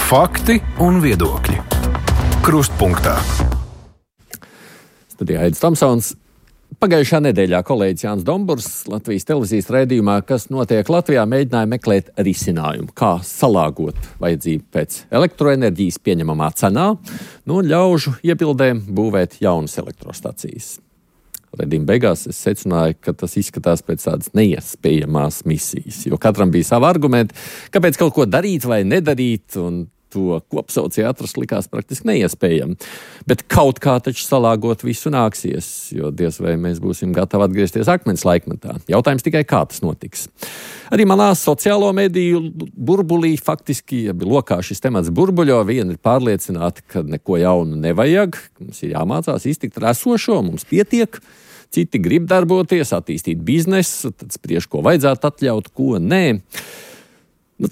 Fakti un viedokļi. Krustpunktā. Studijā Aidis Tomsons. Pagājušā nedēļā kolēģis Jānis Domburs Latvijas televīzijas raidījumā, kas notiek Latvijā, mēģināja meklēt risinājumu, kā salāgot vajadzību pēc elektroenerģijas pieņemamā cenā, un ļaužu iebildēm būvēt jaunas elektrostacijas. Redījuma beigās es secināju, ka tas izskatās pēc tādas neiespējamās misijas, jo katram bija savi argumenti, kāpēc kaut ko darīt vai nedarīt, un to kopsaucēju atrast likās praktiski neiespējami. Bet kaut kā taču salāgot visu nāksies, jo diez vai mēs būsim gatavi atgriezties akmens laikmetā. Jautājums tikai, kā tas notiks. Arī manā sociālo mediju burbulī faktiski, ja lokā šis temats burbuļo, viena ir pārliecināta, ka neko jaunu nevajag, mums ir jāmācās iztikt ar esošo, mums pietiek. Citi grib darboties, attīstīt biznesu, tad spriež, ko vajadzētu atļaut, ko nē.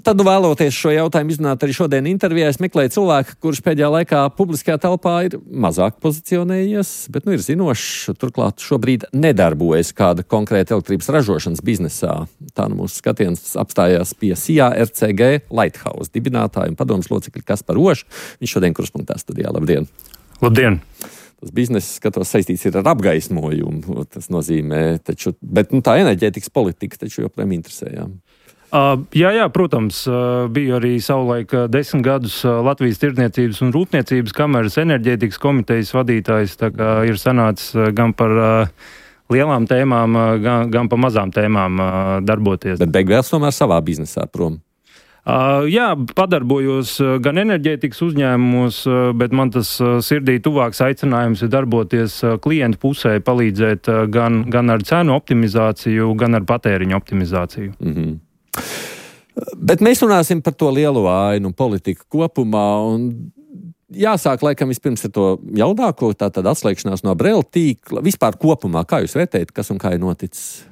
Tad vēloties šo jautājumu izrunāt arī šodien intervijā, es meklēju cilvēku, kurš pēdējā laikā publiskajā telpā ir mazāk pozicionējies, bet ir zinošs, turklāt šobrīd nedarbojas kāda konkrēta elektrības ražošanas biznesā. Tā mūsu skatiens apstājās pie SIA RCG Lighthouse dibinātāja un padomas locekļa Kaspar Ožs. Viņš šodien Krustpunktā studijā. Labdien! Labdien! Tas bizness, skatos, saistīts ir ar apgaismojumu. Tas nozīmē, taču, bet tā enerģētikas politika taču joprojām interesējām. Jā, protams, biju arī savulaik 10 gadus Latvijas tirdzniecības un rūpniecības kameras enerģētikas komitejas vadītājs, tā kā ir sanācis gan par lielām tēmām, gan par mazām tēmām darboties. Bet beigās tomēr savā biznesā prom. Jā, padarbojos gan enerģētikas uzņēmumos, bet man tas sirdī tuvāks aicinājums ir darboties klientu pusē, palīdzēt gan ar cenu optimizāciju, gan ar patēriņu optimizāciju. Mhm. Bet mēs runāsim par to lielo ainu politiku kopumā, un jāsāk laikam vispirms ar to jaunāko, tātad atslēgšanās no Brela tīkla. Vispār kopumā, kā jūs vērtējat, kas un kā ir noticis?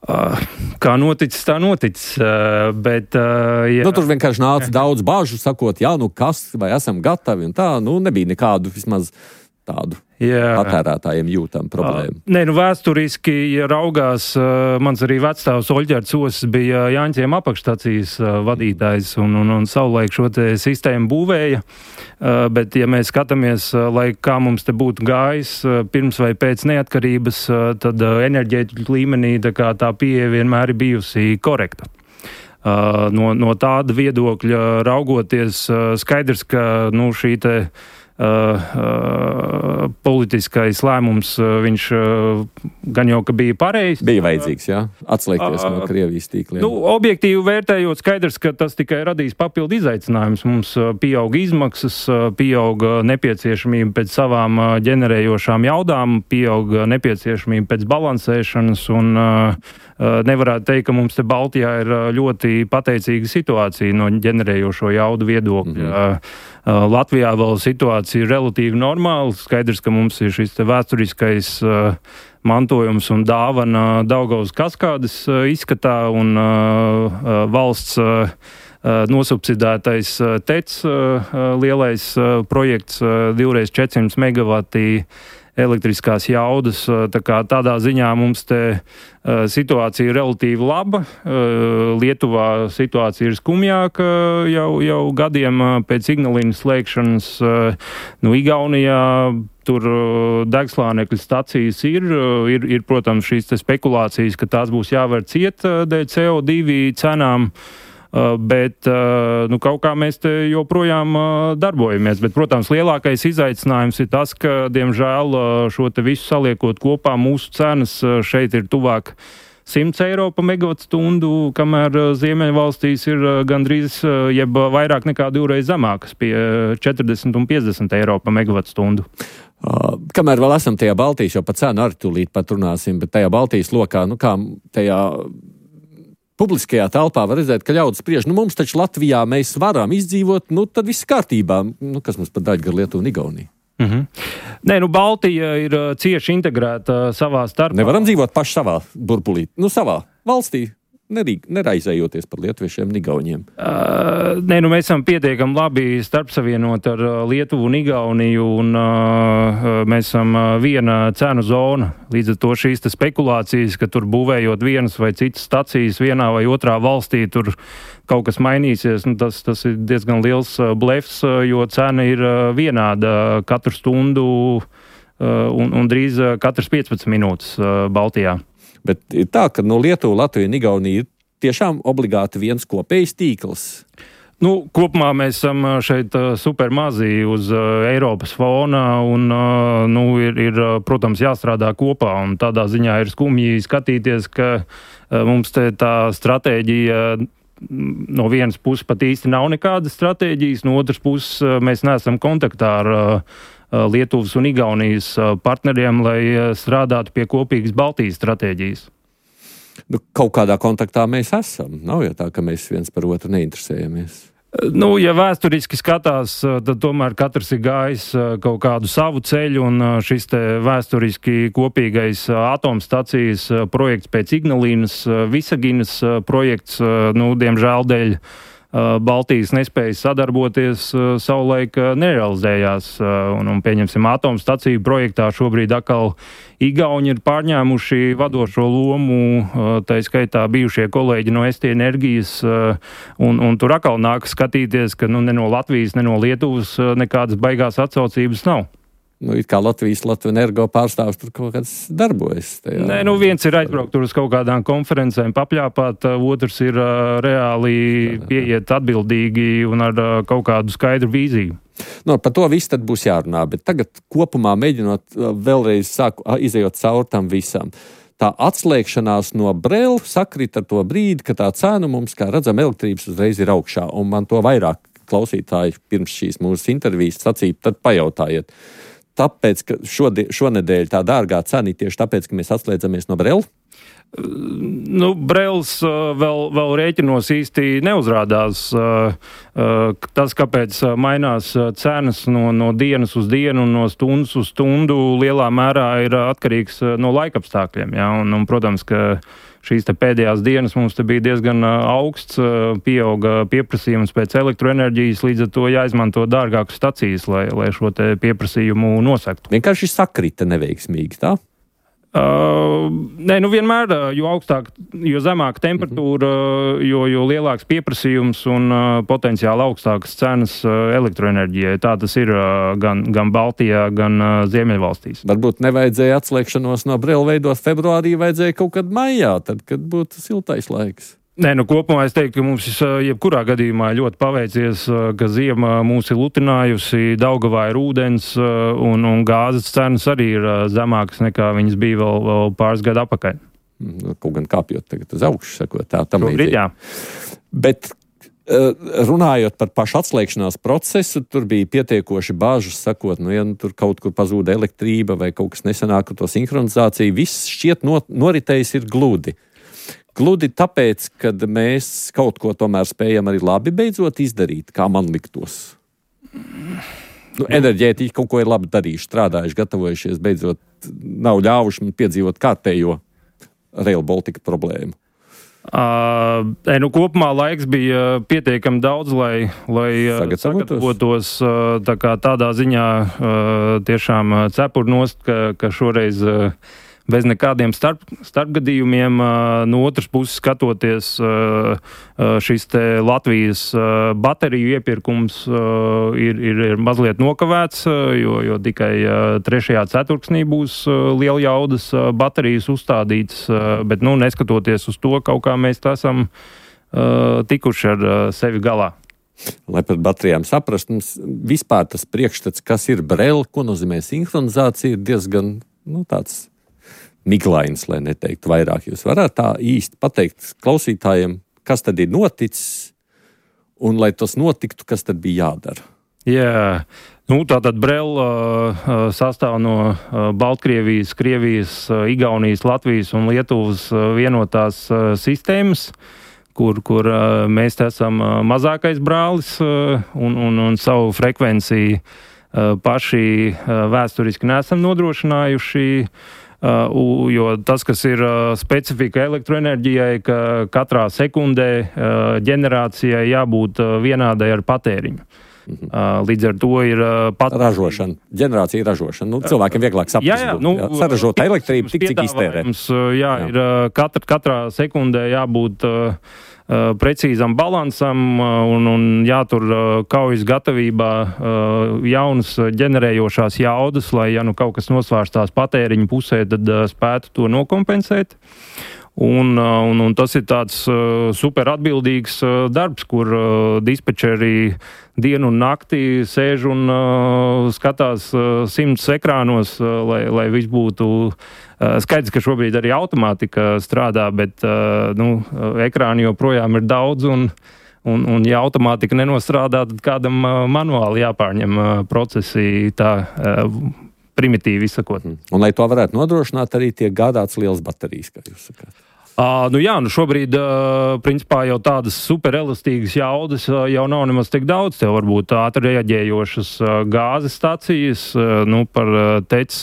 Kā noticis, tā noticis, bet... Jā. Tur vienkārši nāca daudz bāžu, sakot, kas, vai esam gatavi, un tā, nebija nekādu vismaz tādu patērētājiem jūtam problēmu. Vēsturiski, ja raugās, mans arī vecstāvs Oļģerts Osis bija Jāņķiem apakšstacijas vadītājs un savulaik šo te sistēmu būvēja, bet ja mēs skatāmies, lai kā mums te būtu gājis pirms vai pēc neatkarības, tad enerģētikas līmenī tā pieeja vienmēr ir bijusi korekta. No tāda viedokļa raugoties, skaidrs, ka šī te politiskais lēmums, viņš gan jau, ka bija pareizs. Bija vajadzīgs, jā, atslēgties no Krievijas tīkliem. Objektīvi vērtējot, skaidrs, ka tas tikai radīs papildu izaicinājumus. Mums pieauga izmaksas, pieauga nepieciešamība pēc savām ģenerējošām jaudām, pieauga nepieciešamība pēc balansēšanas, un nevarētu teikt, ka mums te Baltijā ir ļoti pateicīga situācija no ģenerējošo jaudu viedokļa. Latvijā vēl situācija ir relatīvi normāla. Skaidrs, ka mums ir šis vēsturiskais mantojums un dāvana Daugavas kaskādes izskatā un valsts nosubsidētais TEC lielais projekts 2x400 megavati elektriskās jaudas. Tādā ziņā mums te situācija ir relatīvi laba. Lietuvā situācija ir skumjāka jau gadiem pēc Ignalinas slēgšanas. Igaunijā tur degslānekļa stacijas ir, protams, šīs te spekulācijas, ka tās būs jāvar ciet dēļ CO2 cenām. Bet kaut kā mēs te joprojām darbojamies. Bet, protams, lielākais izaicinājums ir tas, ka, diemžēl, šo te visu saliekot kopā, mūsu cenas šeit ir tuvāk 100 eiro pa megavatstundu, kamēr Ziemeļvalstīs ir gandrīz, jeb vairāk nekā 2 reizes zemākas, pie 40 un 50 eiro pa megavatstundu. Kamēr vēl esam tajā Baltijas, jo pa cenu arī tūlīt pat runāsim, bet tajā Baltijas lokā, kā tajā publiskajā telpā var redzēt, ka ļaudis spriež, mums taču Latvijā mēs varam izdzīvot, tad viss kārtībā. Kas mums pat daļa gar Lietuvu un Igauniju? Baltija ir cieši integrēta savā starpā. Nevaram dzīvot paši savā burbulī, savā valstī. neraizējoties par lietuviešiem un igauniem? Nē, mēs esam pietiekami labi starpsavienot ar Lietuvu un Igauniju, un mēs esam viena cenu zona. Līdz ar to šīs spekulācijas, ka tur būvējot vienas vai citas stacijas vienā vai otrā valstī, tur kaut kas mainīsies, tas ir diezgan liels blefs, jo cena ir vienāda katru stundu un drīz katras 15 minūtes Baltijā. Bet ir tā, ka Lietuva, Latvija un Igaunija ir tiešām obligāti viens kopējs tīkls. Kopumā mēs esam šeit super mazi uz Eiropas fona un, ir, protams, jāstrādā kopā, un tādā ziņā ir skumji skatīties, ka mums tā stratēģija no vienas puses pat īsti nav nekādas stratēģijas, no otras puses mēs neesam kontaktā ar Lietuvas un Igaunijas partneriem, lai strādātu pie kopīgas Baltijas stratēģijas. Kaut kādā kontaktā mēs esam. Nav jau tā, ka mēs viens par otru neinteresējamies. Ja vēsturiski skatās, tad tomēr katrs ir gājis kaut kādu savu ceļu, un šis te vēsturiski kopīgais atomstacijas projekts pēc Ignalīnas, Visaginas projekts, diemžēl dēļ Baltijas nespējas sadarboties savulaik nerealizējās, un pieņemsim atomstaciju projektā šobrīd atkal Igauni ir pārņēmuši vadošo lomu, tā skaitā bijušie kolēģi no ST Enerģijas, un tur atkal nāk skatīties, ka ne no Latvijas, ne no Lietuvas nekādas baigās atsaucības nav. It kā Latvijas Energo pārstāvs tur kaut kāds darbojas. Nē, viens ir aizbraukt tur uz kaut kādām konferencēm, papļāpāt, otrs ir reāli pieiet atbildīgi un ar kaut kādu skaidru vīziju. Par to visu tad būs jārunā, bet tagad kopumā mēģinot vēlreiz izejot cauri tam visam. Tā atslēgšanās no Brela sakrit ar to brīdi, ka tā cena mums, kā redzam, elektrības uzreiz ir augšā, un man to vairāk klausītāji pirms šīs mūsu intervijas sacīja, tad pajautājiet. Tāpēc, ka šonedēļ tā dārgā cena tieši tāpēc, ka mēs atslēdzamies no Brela? Brels vēl rēķinos īsti neuzrādās. Tas, kāpēc mainās cenas no dienas uz dienu un no stundas uz stundu, lielā mērā ir atkarīgs no laikapstākļiem. Ja? Un, protams, ka šīs pēdējās dienas mums bija diezgan augsts, pieauga pieprasījums pēc elektroenerģijas, līdz ar to jāizmanto dārgākas stacijas, lai šo pieprasījumu nosaktu. Vienkārši sakrita neveiksmīgi, tā? Nē, vienmēr, jo zemāka temperatūra, jo lielāks pieprasījums un potenciāli augstākas cenas elektroenerģijai. Tā tas ir gan Baltijā, gan Ziemeļvalstīs. Varbūt nevajadzēja atslēgšanos no Brela veidot februārī, vajadzēja kaut kad maijā, tad, kad būtu siltais laiks. Nē, kopumā es teiktu, ka mums jebkurā gadījumā ļoti paveicies, ka ziema mūs ir lutinājusi, Daugavā ir ūdens un gāzes cenas arī ir zemākas nekā viņas bija vēl pāris gadu atpakaļ. Kaut gan kāpjot tagad uz augšu, sakot tā tam līdzīgi. Jā. Bet runājot par pašu atslēgšanās procesu, tur bija pietiekoši bāžas, sakot, ja tur kaut kur pazūda elektrība vai kaut kas nesanāk ar to sinhronizāciju, viss šķiet noritējis ir gludi. Gludi tāpēc, ka mēs kaut ko tomēr spējam arī labi beidzot izdarīt, kā man liktos. Enerģētiķi kaut ko ir labi darījuši, strādājuši, gatavojušies, beidzot nav ļāvuši man piedzīvot kārtējo Rail Baltica problēmu. Kopumā laiks bija pietiekami daudz, lai sagatavotos tādā ziņā tiešām cepurnost, ka šoreiz bez nekādiem starpgadījumiem. No otras puses skatoties, šis te Latvijas bateriju iepirkums ir mazliet nokavēts, jo tikai 3. ceturksnī būs liela jaudas baterijas uzstādītas, bet neskatoties uz to, kaut kā mēs esam tikuši ar sevi galā. Lai par baterijām saprast, mums vispār tas priekšstats, kas ir Brela, ko nozīmē sinhronizācija, ir diezgan tāds miglains, lai neteiktu vairāk. Jūs varētu tā īsti pateikt klausītājiem, kas tad ir noticis, un lai tas notiktu, kas tad bija jādara? Jā, tātad Brela sastāv no Baltkrievijas, Krievijas, Igaunijas, Latvijas un Lietuvas vienotās sistēmas, kur mēs esam mazākais brālis un savu frekvenciju paši vēsturiski neesam nodrošinājuši. Jo tas, kas ir specifika elektroenerģijai, ka katrā sekundē ģenerācijai jābūt vienādai ar patēriņu. Līdz ar to ir ražošana, ģenerācija ražošana. Nu, cilvēkiem vieglāk saprast, saražot elektrību, tik cik iztērē. Jā, ir katrā sekundē jābūt precīzam balansam un jātur kaujas gatavībā jaunas ģenerējošās jaudas, lai, ja nu kaut kas nosvērstās patēriņa pusē, tad spētu to nokompensēt. Un tas ir tāds super atbildīgs darbs, kur dispečeri dienu un nakti sēž un skatās 100 ekrānos, lai viss būtu skaidrs, ka šobrīd arī automātika strādā, bet ekrāni joprojām ir daudz un ja automātika nenostrādā, tad kādam manuāli jāpārņem procesi tā primitīvi izsakot. Un, lai to varētu nodrošināt, arī tiek gādāts liels baterijas, kā jūs sakāt. Šobrīd, principā, jau tādas superelastīgas jaudas jau nav nemaz tik daudz. Tev varbūt ātri reaģējošas gāzes stacijas, par tec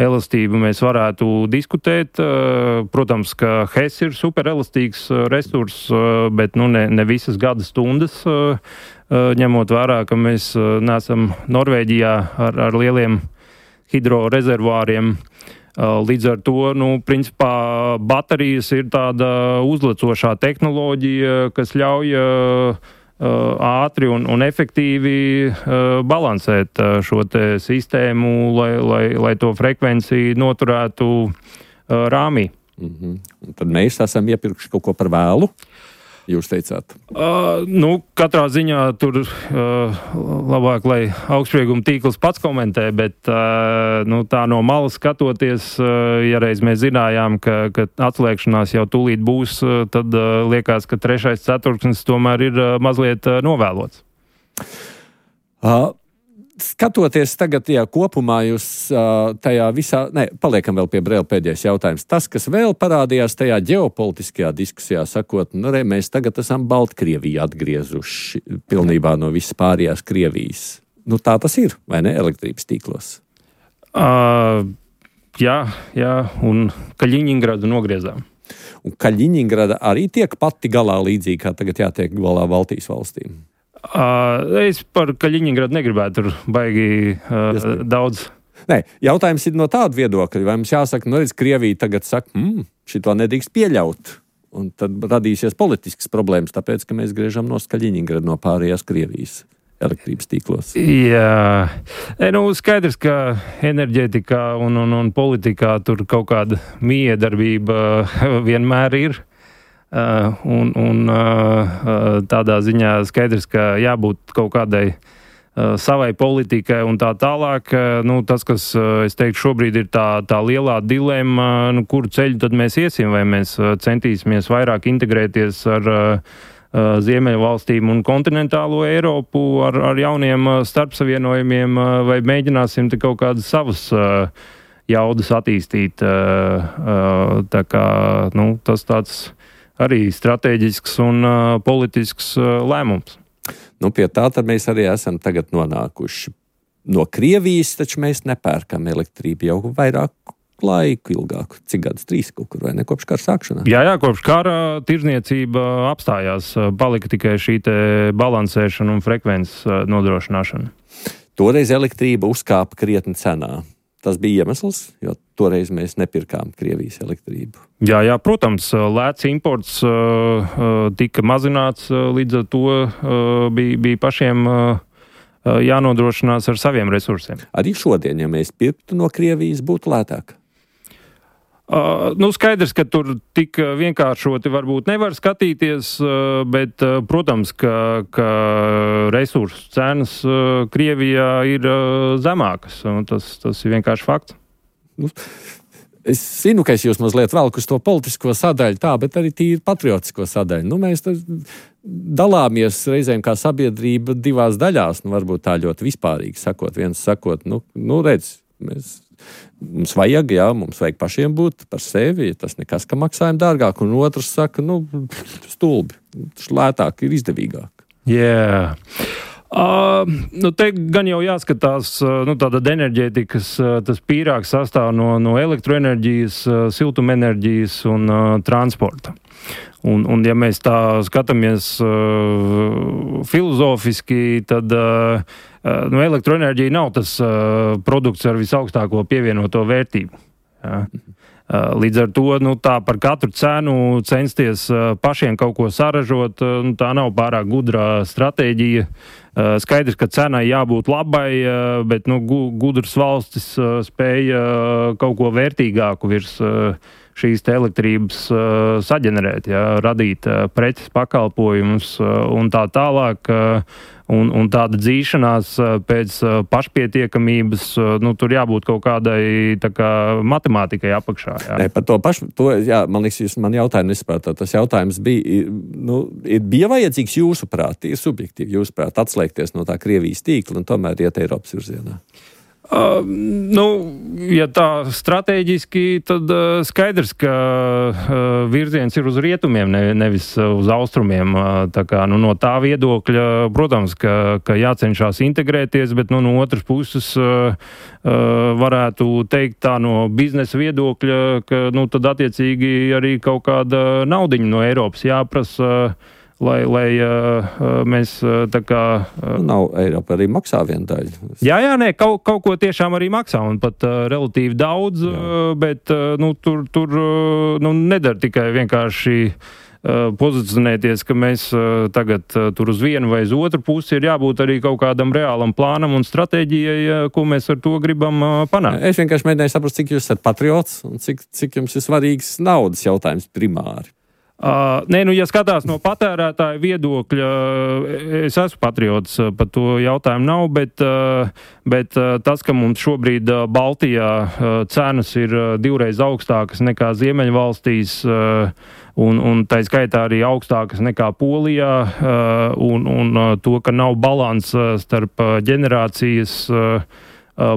elastību mēs varētu diskutēt. Protams, ka HES ir superelastīgs resurs, bet ne visas gada stundas, ņemot vērā, ka mēs neesam Norvēģijā ar lieliem hidrorezervāriem. Līdz ar to, principā, baterijas ir tāda uzlecošā tehnoloģija, kas ļauj ātri un efektīvi balansēt šo te sistēmu, lai to frekvenciju noturētu rāmī. Tad mēs esam iepirkuši kaut ko par vēlu. Jūs teicāt? Katrā ziņā tur labāk, lai augstsprieguma tīkls pats komentē, bet tā no malas skatoties, ja reiz mēs zinājām, ka atslēgšanās jau tūlīt būs, tad liekas, ka 3. ceturksnis tomēr ir mazliet novēlots. Skatoties tagad, kopumā jūs tajā visā, paliekam vēl pie Brēla pēdējais jautājums. Tas, kas vēl parādījās tajā ģeopolitiskajā diskusijā, sakot, mēs tagad esam Baltkrieviju atgriezuši pilnībā no visas pārējās Krievijas. Tā tas ir, vai ne, elektrības tīklos? Jā, un Kaļiņingradu nogriezām. Un Kaļiņingrada arī tiek pati galā līdzīgi, kā tagad jātiek galā Baltijas valstīm? Es par Kaļiņingradu negribētu tur baigi daudz. Jautājums ir no tāda viedokļa, vai mums jāsaka, Krievija tagad saka, šito nedrīkst pieļaut, un tad radīsies politiskas problēmas, tāpēc, ka mēs griežam no Kaļiņingradu no pārējās Krievijas elektrības tīklos. Jā, skaidrs, ka enerģētikā un politikā tur kaut kāda miedarbība vienmēr ir. Tādā ziņā skaidrs, ka jābūt kaut kādai savai politikai un tā tālāk. Tas, kas, es teiktu, šobrīd ir tā lielā dilemma, kuru ceļu tad mēs iesim, vai mēs centīsimies vairāk integrēties ar Ziemeļvalstīm un kontinentālo Eiropu ar jauniem starpsavienojumiem, vai mēģināsim te kaut kādas savas jaudas attīstīt. Tā kā, tas tāds arī strateģisks un politisks lēmums. Pie tā tad mēs arī esam tagad nonākuši. No Krievijas taču mēs nepērkam elektrību jau vairāk laiku ilgāku. Cik gadus? 3 kaut kur, vai ne? Kopš kara sākšanā? Jā, kopš kara tirzniecība apstājās. Palika tikai šī te balansēšana un frekvences nodrošināšana. Toreiz elektrība uzkāpa krietni cenā. Tas bija iemesls, jo toreiz mēs nepirkām Krievijas elektrību. Jā, protams, lēts imports tika mazināts, līdz ar to bija pašiem jānodrošinās ar saviem resursiem. Arī šodien, ja mēs pirktu no Krievijas, būtu lētāk? Skaidrs, ka tur tik vienkāršoti varbūt nevar skatīties, bet, protams, ka resursu cenas Krievijā ir zemākas. Tas ir vienkārši fakts. Es zinu, ka es jūs mazliet velku uz to politisko sadaļu, bet arī tīri patriotisko sadaļu. Mēs dalāmies reizēm kā sabiedrība divās daļās, varbūt tā ļoti vispārīgi sakot. Viens sakot, redz, mums vajag pašiem būt par sevi, tas nekas, ka maksājam dārgāk, un otrs saka, stulbi, lētāk ir izdevīgāk. Jā. Te gan jau jāskatās, tāda enerģētikas, tas pīrāgs sastāv no elektroenerģijas, siltumenerģijas un transporta. Un ja mēs tā skatāmies filozofiski, tad elektroenerģija nav tas produkts ar visaugstāko pievienoto vērtību. Jā. Līdz ar to tā par katru cenu censties pašiem kaut ko saražot, tā nav pārāk gudrā stratēģija. Skaidrs, ka cenai jābūt labai, bet gudras valstis spēja kaut ko vērtīgāku virs šīs te elektrības saģenerēt, radīt preces, pakalpojumus un tā tālāk. Un tāda dzīšanās pēc pašpietiekamības, tur jābūt kaut kādai matemātikai apakšā. Jā. Nē, par to pašu, man liekas, jūs man jautājumu nesaprātāt. Tas jautājums bija vajadzīgs jūsuprāt, ir subjektīvi jūsuprāt atslēgties no tā Krievijas tīkla un tomēr iet Eiropas virzienā. Ja tā strateģiski, tad skaidrs, ka virziens ir uz rietumiem, nevis uz austrumiem. Tā kā, no tā viedokļa, protams, ka jācenšas integrēties, bet no otras puses varētu teikt tā no biznesa viedokļa, ka tad attiecīgi arī kaut kāda naudiņa no Eiropas jāprasa, lai mēs tā kā... Nav Eiropa arī maksā vienu daļu. Jā, kaut ko tiešām arī maksā, un pat relatīvi daudz, bet tur nedara tikai vienkārši pozicionēties, ka mēs tagad tur uz vienu vai uz otru pusi ir jābūt arī kaut kādam reālam plānam un stratēģijai, ko mēs ar to gribam panākt. Es vienkārši mēģināju saprast, cik jūs esat patriots un cik jums ir svarīgs naudas jautājums primāri. Ja skatās no patērētāja viedokļa, es esmu patriots, par to jautājumu nav, bet tas, ka mums šobrīd Baltijā cenas ir 2 reizes augstākas nekā Ziemeļvalstīs, un tā skaitā arī augstākas nekā Polijā, un to, ka nav balans starp ģenerācijas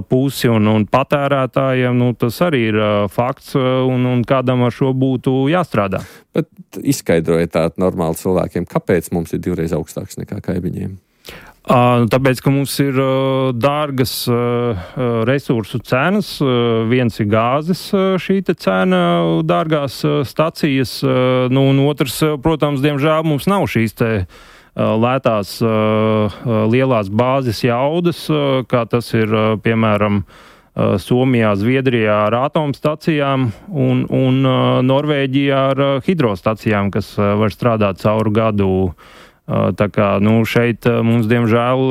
pusi un patērētājiem, tas arī ir fakts, un kādam ar šo būtu jāstrādā. Bet izskaidrojiet tā normāli cilvēkiem, kāpēc mums ir 2 reizes augstāks nekā kaimiņiem? Tāpēc, ka mums ir dārgas resursu cenas, viens ir gāzes šī te cena, dārgās stacijas, un otrs, protams, diemžēl mums nav šīs te lētās lielās bāzes jaudas, kā tas ir, piemēram, Somijā, Zviedrijā ar atomstacijām un Norvēģijā ar hidrostacijām, kas var strādāt cauru gadu. Tā kā, šeit mums, diemžēl,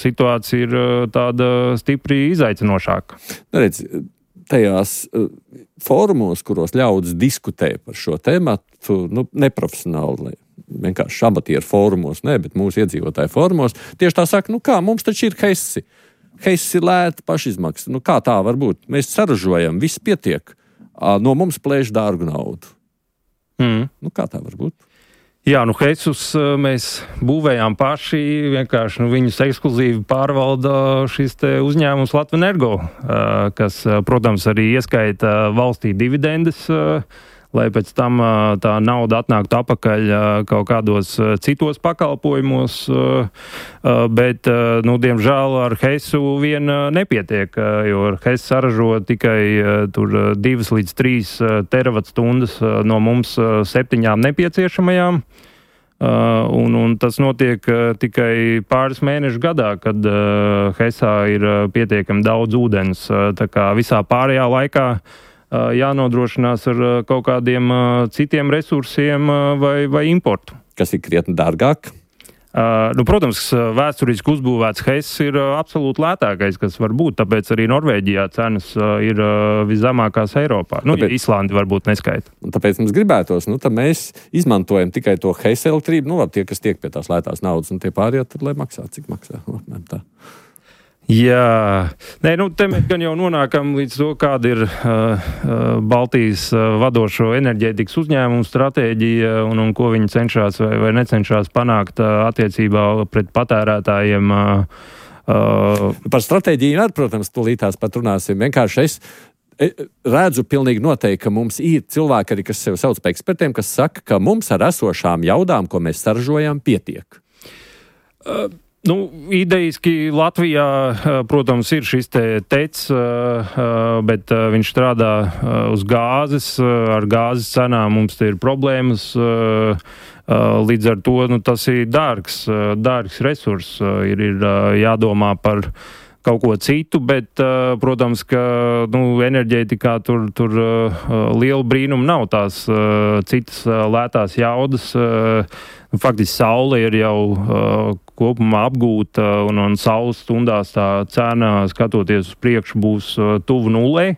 situācija ir tāda stipri izaicinošāka. Redz, tajās fórumos, kuros ļaudis diskutē par šo tēmatu, neprofesionāli, vienkārši amatieru fórumos, bet mūsu iedzīvotāju fórumos, tieši tā saka, mums taču ir Hesi. Hesi ir lēta pašizmaksa. Kā tā var būt? Mēs saražojam, viss pietiek. No mums plēš dārgu naudu. Kā tā var būt? Jā, Hesus mēs būvējām paši, vienkārši viņus ekskluzīvi pārvalda šis te uzņēmums Latvenergo, kas, protams, arī ieskaita valstī dividendes, lai pēc tam tā nauda atnāktu atpakaļ kaut kādos citos pakalpojumos, bet, diemžēl ar Hesu vien nepietiek, jo Hes saražo tikai tur 2 līdz 3 teravatstundas no mums 7 nepieciešamajām. Un tas notiek tikai pāris mēnešu gadā, kad Hesā ir pietiekami daudz ūdens. Tā kā visā pārējā laikā jānodrošinās ar kaut kādiem citiem resursiem vai importu. Kas ir krietni dārgāk? Protams, vēsturiski uzbūvēts Hess ir absolūti lētākais, kas var būt, tāpēc arī Norvēģijā cenas ir viszemākās Eiropā. Ja Islandi varbūt neskaita. Tāpēc mums gribētos, tad mēs izmantojam tikai to Hess elektrību, tie, kas tiek pie tās lētās naudas, un tie pārējie tad, lai maksā, cik maksā. Tā. Jā, te mēs gan jau nonākam līdz to, kāda ir Baltijas vadošo enerģētikas uzņēmumu stratēģija un ko viņi cenšas vai necenšas panākt attiecībā pret patērētājiem. Par stratēģiju, protams, tūlītās pat runāsim. Vienkārši es redzu pilnīgi noteikti, ka mums ir cilvēki arī, kas sev sauc par ekspertiem, kas saka, ka mums ar esošām jaudām, ko mēs saražojam, pietiek. Idejiski Latvijā, protams, ir šis tec, bet viņš strādā uz gāzes. Ar gāzes cenām mums te ir problēmas. Līdz ar to tas ir dārgs resurs. Ir jādomā par kaut ko citu, bet, protams, ka enerģētikā tur liela brīnuma nav tās citas lētās jaudas. Faktiski saule ir jau kopumā apgūta un saules stundās tā cena, skatoties uz priekšu, būs tuvu nulē.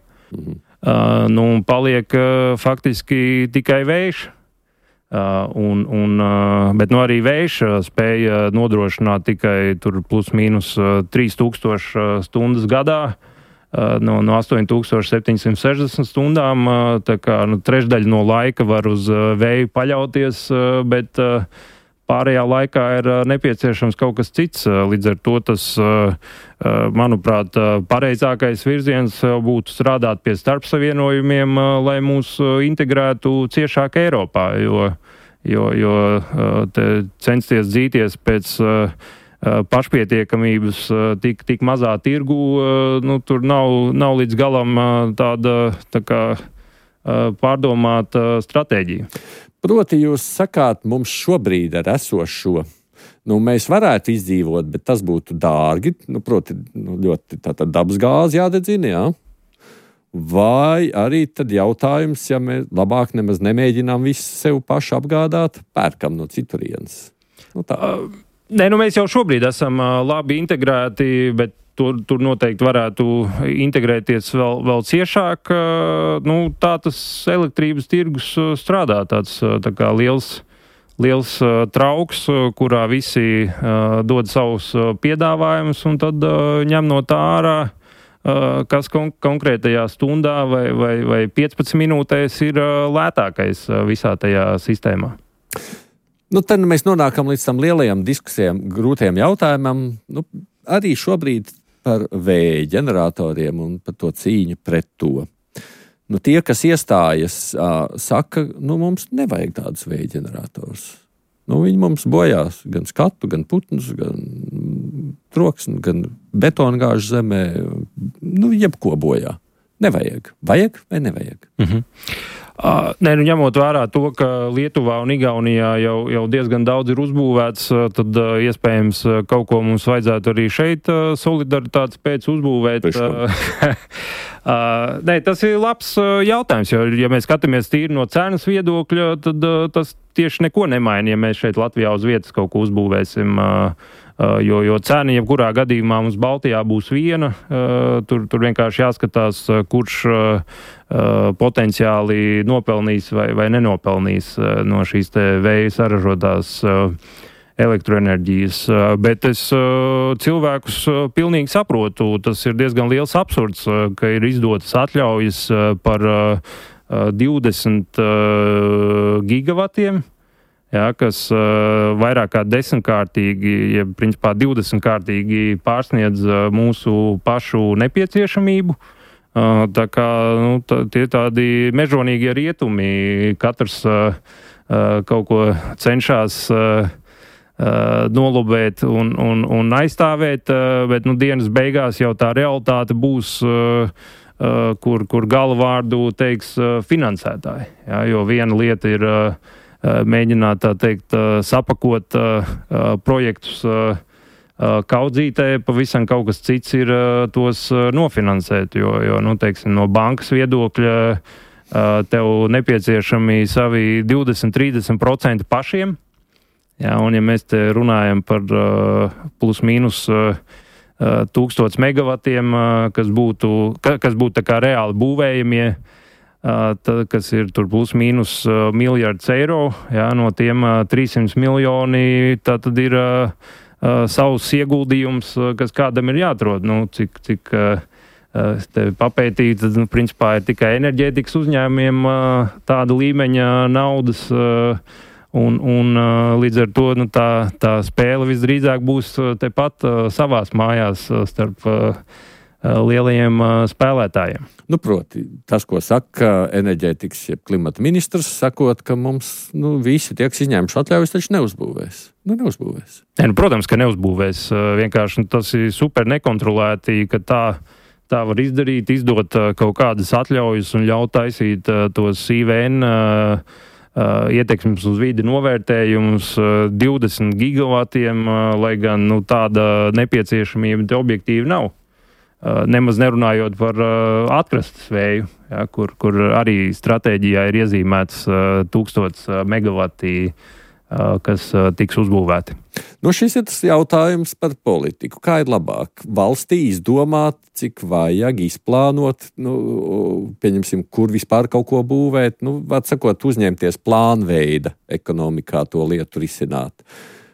Paliek faktiski tikai vējš. Bet arī vējš spēja nodrošināt tikai tur plus mīnus 3000 stundas gadā. No 8760 stundām, tā kā trešdaļa no laika var uz vēju paļauties, bet pārējā laikā ir nepieciešams kaut kas cits. Līdz ar to tas, manuprāt, pareizākais virziens būtu strādāt pie starpsavienojumiem, lai mūs integrētu ciešāk Eiropā, jo censties dzīties pēc pašpietiekamības tik mazā tirgu, tur nav līdz galam tā kā pārdomāta stratēģija. Proti jūs sakāt, mums šobrīd ar esošo, mēs varētu izdzīvot, bet tas būtu dārgi, proti ļoti tātad dabas gāzi jādedzina, jā? Vai arī tad jautājums, ja mēs labāk nemaz nemēģinām visu sev paši apgādāt, pērkam no citurienes? Mēs jau šobrīd esam labi integrēti, bet tur noteikti varētu integrēties vēl ciešāk. Tā tas elektrības tirgus strādā, tāds tā kā liels trauks, kurā visi dod savus piedāvājumus un tad ņem no tā ārā, kas konkrētajā stundā vai 15 minūtēs ir lētākais visā tajā sistēmā. Tad mēs nonākam līdz tam lielajām diskusijām, grūtajām jautājumam. Arī šobrīd par vēja ģeneratoriem un par to cīņu pret to. Tie, kas iestājas, saka, mums nevajag tādus vēja ģeneratorus. Viņi mums bojās gan skatu, gan putnus, gan troksni, gan betongāžu zemē. Jebko bojā. Nevajag. Vajag vai nevajag? Ņemot vērā to, ka Lietuvā un Igaunijā jau diezgan daudz ir uzbūvēts, tad iespējams kaut ko mums vajadzētu arī šeit solidaritātes pēc uzbūvēt. Tas ir labs jautājums, jo, ja mēs skatāmies tīri no cenas viedokļa, tad tas tieši neko nemaina, ja mēs šeit Latvijā uz vietas kaut ko uzbūvēsim. Jo cena jebkurā gadījumā mums Baltijā būs viena, tur vienkārši jāskatās, kurš potenciāli nopelnīs vai nenopelnīs no šīs te vēja saražotās elektroenerģijas. Bet es cilvēkus pilnīgi saprotu, tas ir diezgan liels absurds, ka ir izdotas atļaujas par 20 gigavatiem, kas vairāk kā 10-kārtīgi, ja principā 20-kārtīgi pārsniedz mūsu pašu nepieciešamību. Tā kā tie tādi mežonīgie rietumi, katrs kaut ko cenšas nolobēt un aizstāvēt, bet dienas beigās jau tā realitāte būs, kur galvārdu teiks finansētāji. Jo viena lieta ir mēģināt, tā teikt, sapakot projektus kaudzītē, pavisam kaut kas cits ir tos nofinansēt, jo teiksim, no bankas viedokļa tev nepieciešami savi 20-30% pašiem. Un ja mēs te runājam par plus mīnus 1000 megavatiem, kas būtu tā kā reāli būvējamie, kas ir tur plus mīnus miljards eiro, no tiem 300 miljoni, tā tad ir savs ieguldījums, kas kādam ir jāatrod. Cik te papētīt, tad, principā ir tikai enerģētikas uzņēmumiem tāda līmeņa naudas, un līdz ar to tā spēle visdrīzāk būs tepat savās mājās starp lielajiem spēlētājiem. Nu, proti, tas, ko saka enerģētikas, jeb klimata ministrs, sakot, ka mums visi tiek izņēmuši atļaujas, taču neuzbūvēs. Neuzbūvēs. Protams, ka neuzbūvēs. Vienkārši tas ir super nekontrolēti, ka tā var izdarīt, izdot kaut kādas atļaujas un ļaut taisīt tos IVN ietekmes uz vidi novērtējumus 20 gigavatiem, lai gan tāda nepieciešamība te objektīvi nav. Nemaz nerunājot par atkrastes vēju, kur arī stratēģijā ir iezīmēts 1000 megavati, kas tiks uzbūvēti. Šis ir tas jautājums par politiku. Kā ir labāk? Valstī izdomāt, cik vajag izplānot, pieņemsim, kur vispār kaut ko būvēt, var sakot, uzņemties plānveida ekonomikā to lietu risināt.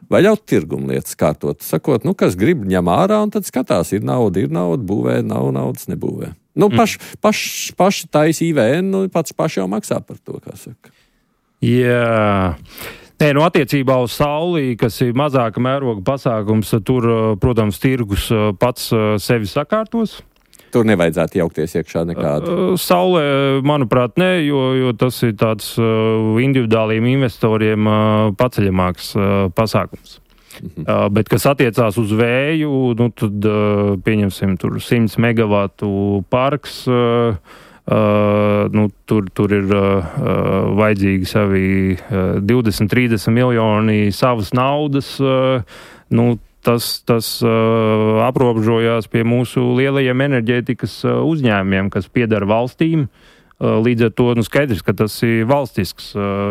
Vai ļaut tirgumu lietas kārtot, sakot, kas grib ņem ārā, un tad skatās, ir nauda, būvē, nav naudas, nebūvē. Paši taisa IVN, paši jau maksā par to, kā saka. Jā. Attiecībā uz sauli, kas ir mazāka mēroga pasākums, tur, protams, tirgus pats sevi sakārtos. Tur nevajadzētu jaukties iekšā nekādu. Saulē, manuprāt, ne, jo tas ir tāds individuāliem investoriem paceļamāks pasākums. Bet, kas attiecās uz vēju, tad pieņemsim tur 100 megavatu parks, tur ir vajadzīgi savi 20-30 miljoni savas naudas, Tas aprobežojās pie mūsu lielajiem enerģētikas uzņēmumiem, kas piedara valstīm. Līdz ar to skaidrs, ka tas ir valstisks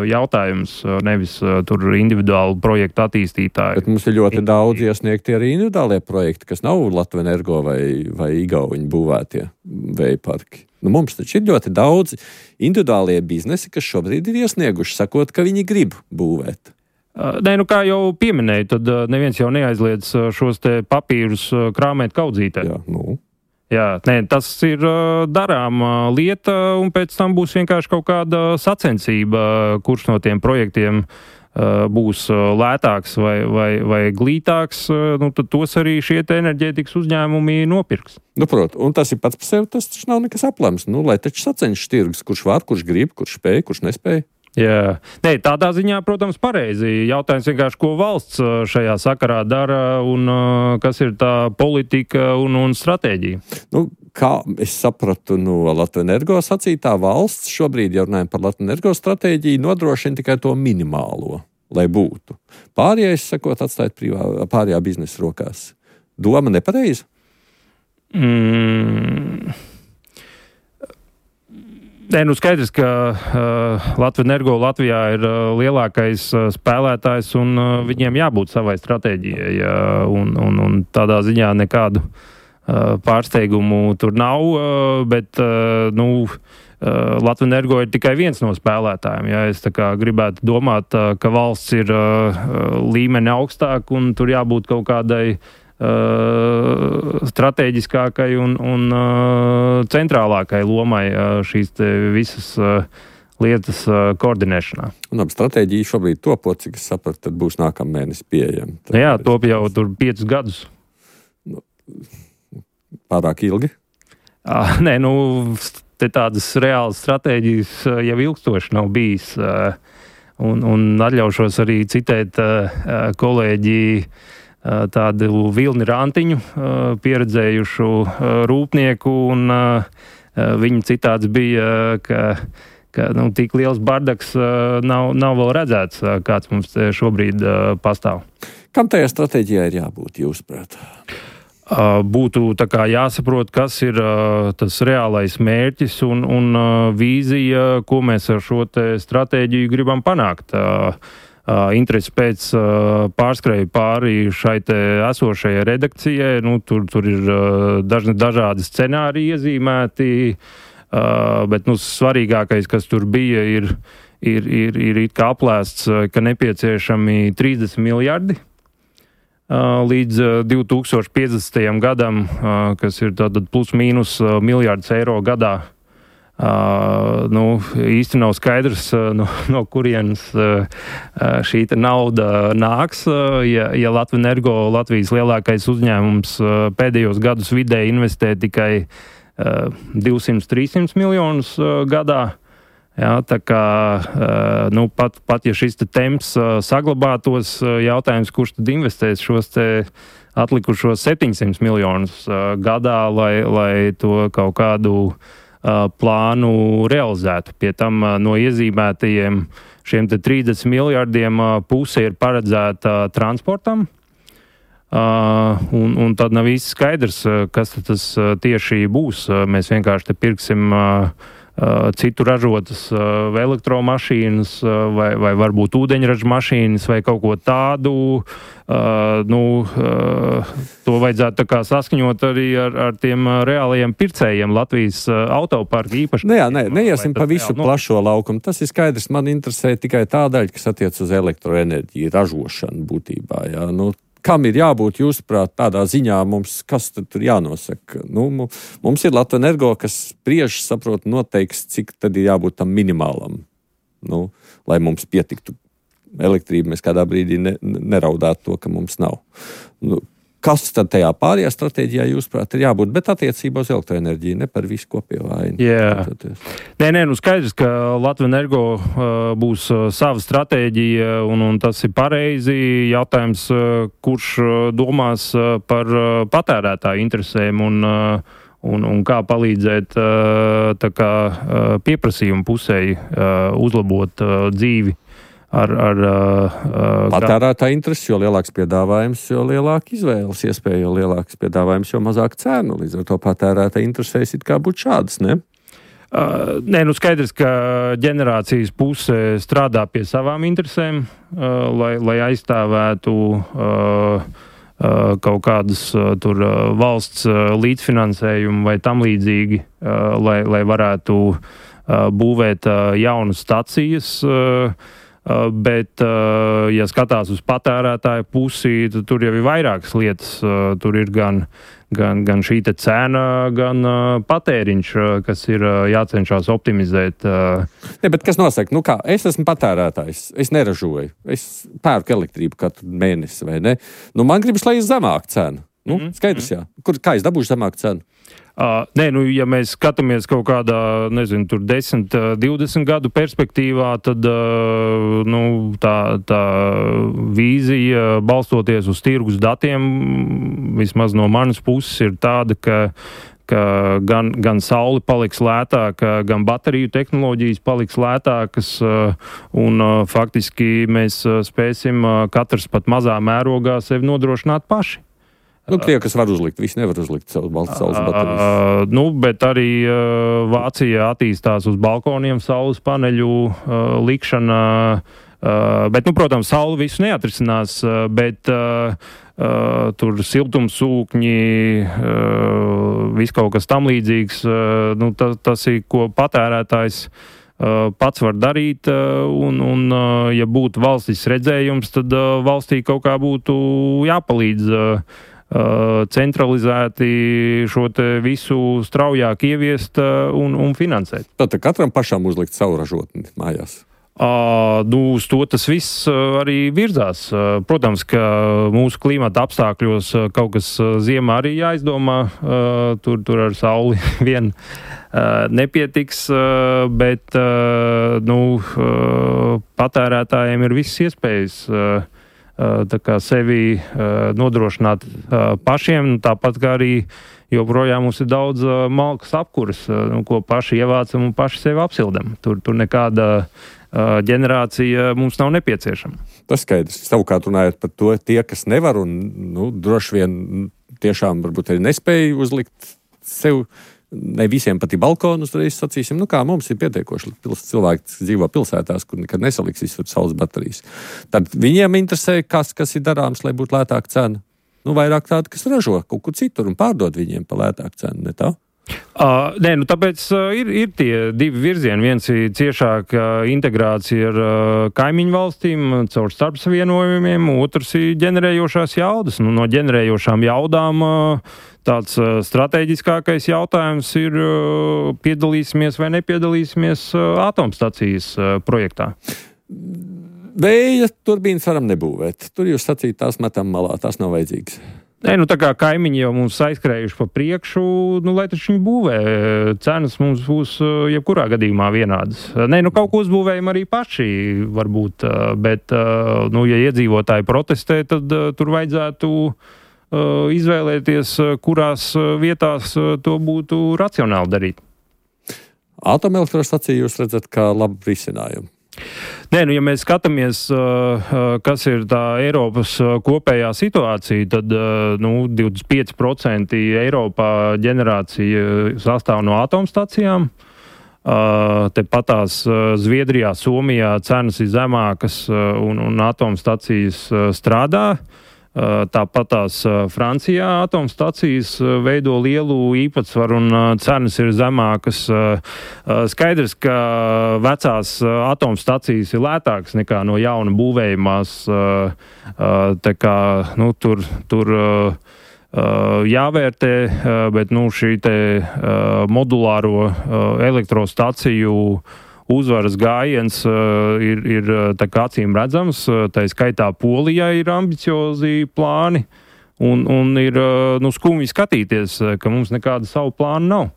jautājums, nevis tur individuālu projektu attīstītāji. Bet mums ir ļoti daudz iesniegti arī individuālie projekti, kas nav Latvenergo vai Igauņu būvētie vēja parki. Mums taču ir ļoti daudz individuālie biznesi, kas šobrīd ir iesnieguši, sakot, ka viņi grib būvēt. Kā jau pieminēju, tad neviens jau neaizliedz šos te papīrus krāmēt kaudzītē. Tas ir darām lieta, un pēc tam būs vienkārši kaut kāda sacensība, kurš no tiem projektiem būs lētāks vai glītāks, tad tos arī šie enerģētikas uzņēmumi nopirks. Protams, un tas ir pats par sevi, tas taču nav nekas aplams. Lai taču sacenšas tirgus, kurš var, kurš grib, kurš spēj, kurš nespēj. Jā, tādā ziņā, protams, pareizi. Jautājums vienkārši, ko valsts šajā sakarā dara un kas ir tā politika un stratēģija. Kā es sapratu no Latvenergo sacītā, valsts šobrīd, ja runājam par Latvenergo stratēģiju, nodrošina tikai to minimālo, lai būtu. Pārējais, sakot, atstāt pārējā biznesa rokās. Doma nepareiza? Skaidrs, ka Latvenergo Latvijā ir lielākais spēlētājs un viņiem jābūt savai stratēģijai. Un tādā ziņā nekādu pārsteigumu tur nav, bet Latvenergo ir tikai viens no spēlētājiem. Es gribētu domāt, ka valsts ir līmeni augstāk un tur jābūt kaut kādai stratēģiskākai un centrālākai lomai šīs visas lietas koordinēšanā. Stratēģija šobrīd topot, cik es sapratu, tad būs nākamā mēnesis pieejama. Top jau tur 5 gadus. Pārāk ilgi? Te tādas reālas stratēģijas jau ilgstoši nav bijis. Un atļaušos arī citēt kolēģi tādu Vilni Rantiņu, pieredzējušu rūpnieku, un viņa citāts bija, ka tik liels bardaks nav vēl redzēts, kāds mums šobrīd pastāv. Kam tajā stratēģijā ir jābūt, jūsuprāt? Būtu jāsaprot, kas ir tas reālais mērķis un vīzija, ko mēs ar šo te stratēģiju gribam panākt. Interesi pēc pārskrēju pāri šai te esošajai redakcijai. Tur ir dažādi scenāriji iezīmēti, bet svarīgākais, kas tur bija, ir kā aplēsts, ka nepieciešami 30 miljardi līdz 2050. gadam, kas ir tātad plus mīnus miljards eiro gadā, Īsti nav skaidrs, no kurienes šī nauda nāks. Ja Latvenergo, Latvijas lielākais uzņēmums, pēdējos gadus vidēji investē tikai 200-300 miljonus gadā. Jā, tā kā pat ja šis temps saglabātos, jautājums, kurš tad investēs šos te atlikušos 700 miljonus gadā, lai to kaut kādu plānu realizētu. Pie tam no iezīmētajiem šiem te 30 miljardiem puse ir paredzēta transportam, un tad nav īsti skaidrs, kas tas tieši būs. Mēs vienkārši te pirksim citu ražotas elektromašīnas vai varbūt ūdeņraža mašīnas vai kaut ko tādu. To vajadzētu tā kā saskaņot arī ar tiem reālajiem pircējiem Latvijas autoparka īpaši. Neiesim pa visu plašo laukumu. Tas ir skaidrs. Man interesē tikai tā daļa, kas attiec uz elektroenerģiju, ražošanu būtībā. Jā. Kam ir jābūt, jūsuprāt, tādā ziņā mums, kas tad tur jānosaka? Mums ir Latvenergo, kas spriež, saprot, noteiks, cik tad ir jābūt tam minimālam, lai mums pietiktu elektrība, mēs kādā brīdī neraudētu to, ka mums nav. Kas tad tajā pārējā stratēģijā, jūsuprāt, ir jābūt, bet attiecībā uz elektroenerģiju, ne par visu kopējo vainu? Jā. Skaidrs, ka Latvenergo būs sava stratēģija, un tas ir pareizi. Jautājums, kurš domās par patērētāju interesēm un kā palīdzēt tā kā pieprasījumu pusēji uzlabot dzīvi. Patērētāja interesi, jo lielāks piedāvājums, jo lielāka izvēles iespēja, jo lielāks piedāvājums, jo mazāk cenu. Līdz ar to patērētāja interesēs it kā būtu šādas, ne? Skaidrs, ka ģenerācijas puse strādā pie savām interesēm, lai aizstāvētu kaut kādas tur valsts līdzfinansējumu vai tam līdzīgi, lai varētu būvēt jaunas stacijas. Bet, ja skatās uz patērētāju pusi, tad tur jau ir vairākas lietas. Tur ir gan šī te cena, gan patēriņš, kas ir jācenšas optimizēt. Bet kas nosaka? Es esmu patērētājs, es neražoju, es pērku elektrību katru mēnesi, vai ne? Man gribas, lai ir zemāka cena. Skaidrs, jā. Kā es dabūšu zemāku cenu? Ja mēs skatāmies kaut kādā, 10, 20 gadu perspektīvā, tad tā vīzija, balstoties uz tirgus datiem, vismaz no manas puses, ir tāda, ka gan saule paliks lētāka, gan bateriju tehnoloģijas paliks lētākas, un faktiski mēs spēsim katrs pat mazā mērogā sevi nodrošināt paši. Tie, kas var uzlikt, visi nevar uzlikt savus saules baterijas. Bet arī Vācija attīstās uz balkoniem saules paneļu likšana. Bet, protams, saule visu neatrisinās, bet tur siltumsūkņi, viss kaut kas tam līdzīgs, tas ir, ko patērētājs pats var darīt, un ja būtu valstis redzējums, tad valstī kaut kā būtu jāpalīdz centralizēti šo te visu straujāk ieviest un finansēt. Tad katram pašam uzlikt savu ražotni mājās? Uz to tas viss arī virzās. Protams, ka mūsu klimata apstākļos kaut kas ziemā arī jāizdomā. Tur ar sauli vien nepietiks, bet patērētājiem ir visas iespējas tā kā sevi nodrošināt pašiem, tāpat kā arī joprojām mums ir daudz malkas apkuras, ko paši ievācam un paši sevi apsildam. Tur nekāda ģenerācija mums nav nepieciešama. Tas skaidrs. Savukārt runājot par to, tie, kas nevar un droši vien tiešām varbūt arī nespēja uzlikt sev, ne visiem pat ir balkonus, reiz sacīsim, kā mums ir pietiekoši cilvēki, kas dzīvo pilsētās, kur nekad nesaliks visur saules baterijas. Tad viņiem interesē, kas ir darāms, lai būtu lētāka cena. Vairāk tāda, kas ražo kaut kur citur un pārdod viņiem pa lētāku cenu, ne tā? Nē, tāpēc ir tie divi virzieni. Viens ir ciešāka integrācija ar kaimiņu valstīm caur starpsavienojumiem, otrs ir ģenerējošās jaudas. No ģenerējošām jaudām tāds strateģiskākais jautājums ir piedalīsimies vai nepiedalīsimies atomstacijas projektā. Vēja turbīnas varam nebūvēt. Tur jūs sacīt, tās metam malā, tās nav vajadzīgas. Nē, tā kā kaimiņi jau mums aizskrējuši pa priekšu, lai taču viņi būvē. Cenas mums būs jebkurā gadījumā vienādas. Nē, kaut ko uzbūvējam arī paši, varbūt, bet, ja iedzīvotāji protestē, tad tur vajadzētu izvēlēties, kurās vietās to būtu racionāli darīt. Atomelektrostaciju jūs redzat kā labu risinājumu? Nē, ja mēs skatāmies, kas ir tā Eiropas kopējā situācija, tad 25% Eiropā ģenerācija sastāv no atomstacijām. Tepatās Zviedrijā, Somijā cenas ir zemākas un atomstacijas strādā. Tāpatās Francijā atomstacijas veido lielu īpatsvaru un cenas ir zemākas. Skaidrs, ka vecās atomstacijas ir lētākas nekā no jauna būvējumās. Tā kā, tur jāvērtē, bet šī te modulāro elektrostaciju uzvaras gājiens ir tā kā acīm redzams, tā skaitā Polijā ir ambiciozi plāni un ir skumji skatīties, ka mums nekāda savu plānu nav.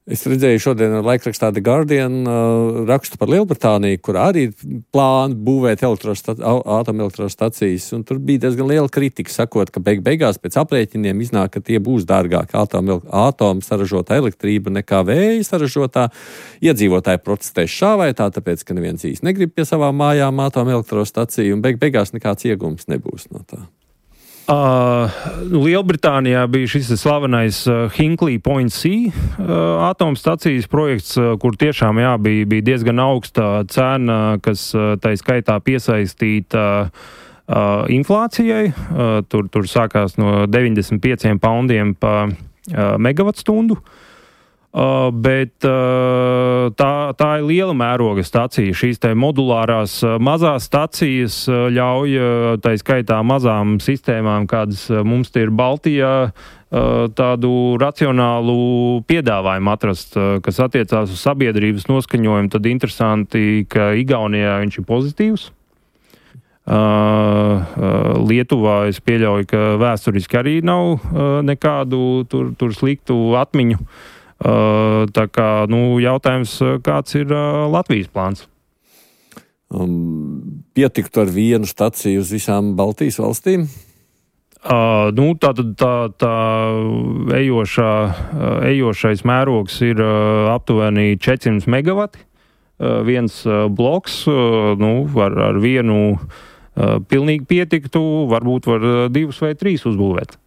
Es redzēju šodien laikrakstā The Guardian rakstu par Lielbritāniju, kur arī plāni būvēt atomelektrostacijas, un tur bija diezgan liela kritika, sakot, ka beigās pēc aprēķiniem iznāk, ka tie būs dārgāk atomu saražotā elektrība nekā vēja saražotā. Iedzīvotāji protestēs šā vai tā, tāpēc, ka neviens īsti negrib pie savām mājām atomelektrostaciju, un beigās nekāds iegums nebūs no tā. Lielbritānijā bija šis slavenais Hinkley Point C atomstacijas projekts, kur tiešām bija diezgan augsta cena, kas tai skaitā piesaistīta inflācijai. Tur sākās no 95 poundiem pa megavatstundu. Bet tā ir liela mēroga stacija. Šīs te modulārās mazās stacijas ļauj, tā skaitā mazām sistēmām, kādas mums ir Baltijā, tādu racionālu piedāvājumu atrast, kas attiecās uz sabiedrības noskaņojumu. Tad interesanti, ka Igaunijā viņš ir pozitīvs. Lietuvā es pieļauju, ka vēsturiski arī nav nekādu tur sliktu atmiņu. Tā kā, jautājums, kāds ir Latvijas plāns? Pietiktu ar vienu staciju uz visām Baltijas valstīm? Tā ejošais mērogs ir aptuveni 400 megavati. Viens bloks, ar vienu pilnīgi pietiktu, varbūt var 2 vai 3 uzbūvēt.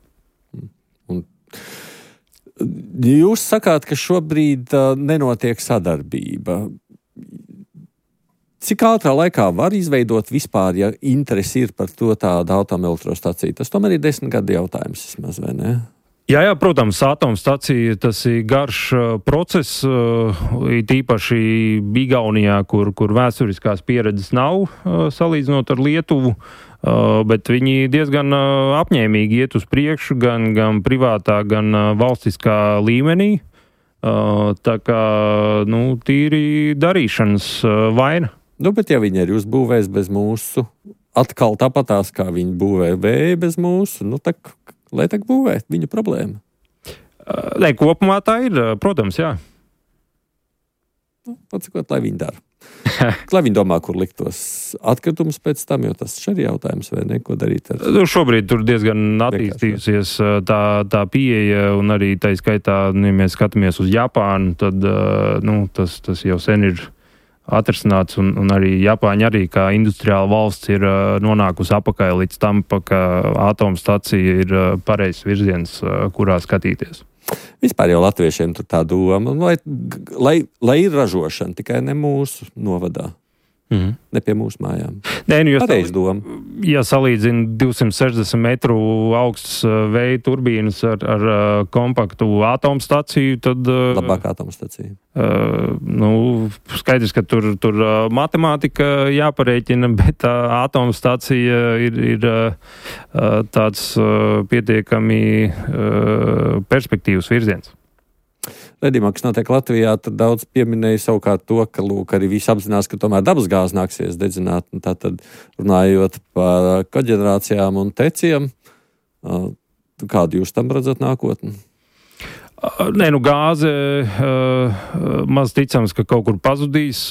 Jūs sakāt, ka šobrīd nenotiek sadarbība. Cik ātrā laikā var izveidot vispār, ja interesi ir par to tādu atomelektrostaciju? Tas tomēr ir 10 gadu jautājums, vismaz, vai ne? Jā, protams, atomstacija tas ir garš process, it īpaši Igaunijā, kur vēsturiskās pieredzes nav, salīdzinot ar Lietuvu. Bet viņi diezgan apņēmīgi iet uz priekšu gan privātā, gan valstiskā līmenī. Tā kā, tīri darīšanas vaina. Bet ja viņi arī uzbūvēs bez mūsu, atkal tāpatās, kā viņi būvē vēja bez mūsu, lai tak būvē, viņu problēma. Kopumā tā ir, protams, jā. Patsakot, lai viņi dara. Lai viņi domā, kur likt tos atkritumus pēc tam, jo tas ir jautājums, vai ne, ko darīt ar... Šobrīd tur diezgan attīstījusies tā pieeja, un arī tā skaitā, ja mēs skatāmies uz Japānu, tad tas jau sen ir atrasināts, un arī Japāņa arī kā industriāla valsts ir nonākusi apakaļ līdz tam, ka atomstacija ir pareizs virziens, kurā skatīties. Vispār jau latviešiem tur tā doma, lai ir ražošana, tikai ne mūsu novadā. Ne pie mūsu mājām. Nē, Pareiz doma. Ja salīdzina 260 metru augstas vēja turbīnas ar kompaktu atomstaciju, tad... Labāka atomstacija. Skaidrs, ka tur matemātika jāparēķina, bet atomstacija ir tāds pietiekami perspektīvas virziens. Redījumā, kas notiek Latvijā, tad daudz pieminēja savukārt to, ka, arī visi apzinās, ka tomēr dabas gāzi nāksies dedzināt. Tātad, runājot par koģenerācijām un teciem, kādu jūs tam redzat nākotni? Gāze maz ticams, ka kaut kur pazudīs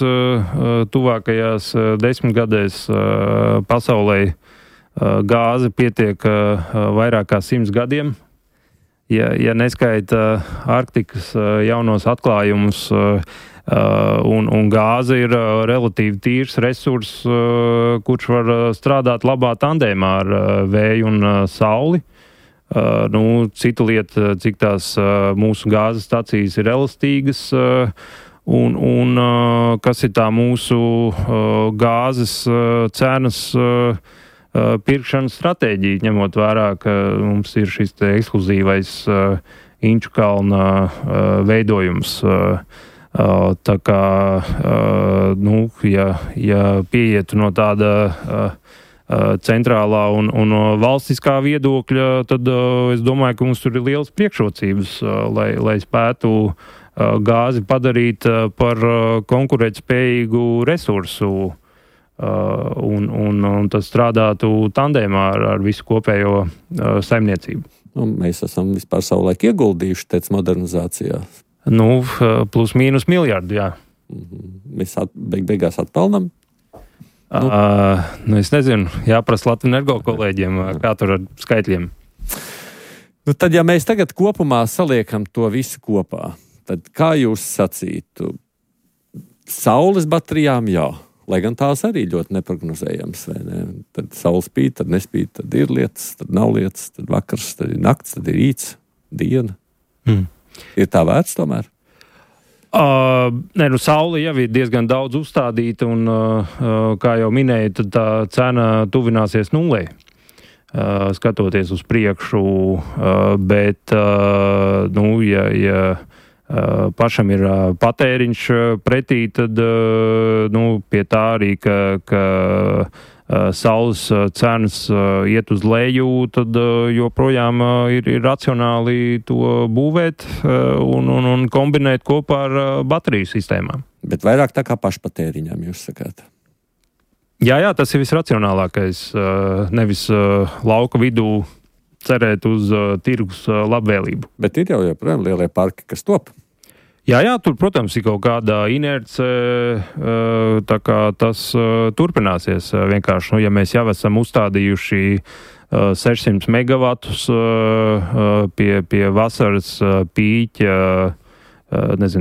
tuvākajās 10 gadēs pasaulē. Gāze pietiek vairāk kā 100 gadiem. Ja neskaita Arktikas jaunos atklājumus, un gāze ir relatīvi tīrs resurs, kurš var strādāt labā tandēmā ar vēju un sauli. Cita lieta, cik tās mūsu gāzes stacijas ir elastīgas, un kas ir tā mūsu gāzes cenas pirkšanas stratēģija, ņemot vērā, ka mums ir šis ekskluzīvais Inču kalna veidojums. Tā kā, ja pieietu no tāda centrālā un valstiskā viedokļa, tad es domāju, ka mums tur ir liels priekšrocības, lai spētu gāzi padarīt par konkurētspējīgu resursu. Un tas strādātu tandēmā ar visu kopējo saimniecību. Mēs esam vispār savulaik ieguldījuši tec modernizācijā. Plus mīnus miljardu, jā. Mēs beigās atpelnam? Es nezinu, jāprasa Latvenergo kolēģiem, kā tur ar skaitļiem. Tad, ja mēs tagad kopumā saliekam to visu kopā, tad kā jūs sacītu? Saules baterijām jā. Lai gan tās arī ļoti neprognozējams, vai ne? Tad saule spīd, tad nespīd, tad ir lietas, tad nav lietas, tad vakars, tad ir nakts, tad ir rīts, diena. Ir tā vērts tomēr? Saule jau ir diezgan daudz uzstādīta, un, kā jau minēju, tad tā cena tuvināsies nulē, skatoties uz priekšu, bet, ja pašam ir patēriņš pretī, tad pie tā arī, ka saules cenas iet uz leju, tad joprojām ir racionāli to būvēt un kombinēt kopā ar bateriju sistēmām. Bet vairāk tā kā pašpatēriņām jūs sakāt? Jā, tas ir visracionālākais. Nevis lauka vidū cerēt uz tirgus labvēlību. Bet ir jau joprojām lielie parki, kas top. Jā, tur, protams, ir kaut kāda inerce, tā kā tas turpināsies vienkārši. Ja mēs jau esam uzstādījuši 600 megavatus pie vasaras pīķa,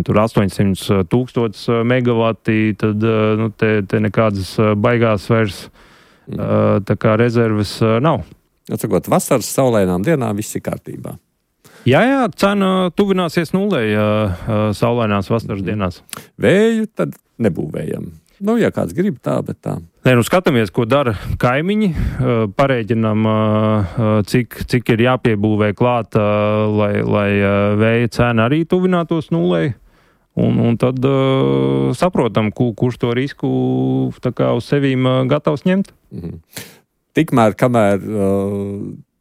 tur 800,000 megavati, tad te nekādas baigās vairs tā kā rezerves nav. Atsakot, vasaras saulainām dienām viss ir kārtībā. Jā, cena tuvināsies nulē saulainās vasaras dienās. Vēju tad nebūvējam. Ja kāds grib tā, bet tā. Skatāmies, ko dara kaimiņi, parēķinam, cik ir jāpiebūvē klāt, lai vēja cena arī tuvinātos nulē. Un tad saprotam, kurš to risku tā kā uz sevīm gatavs ņemt. Tikmēr, kamēr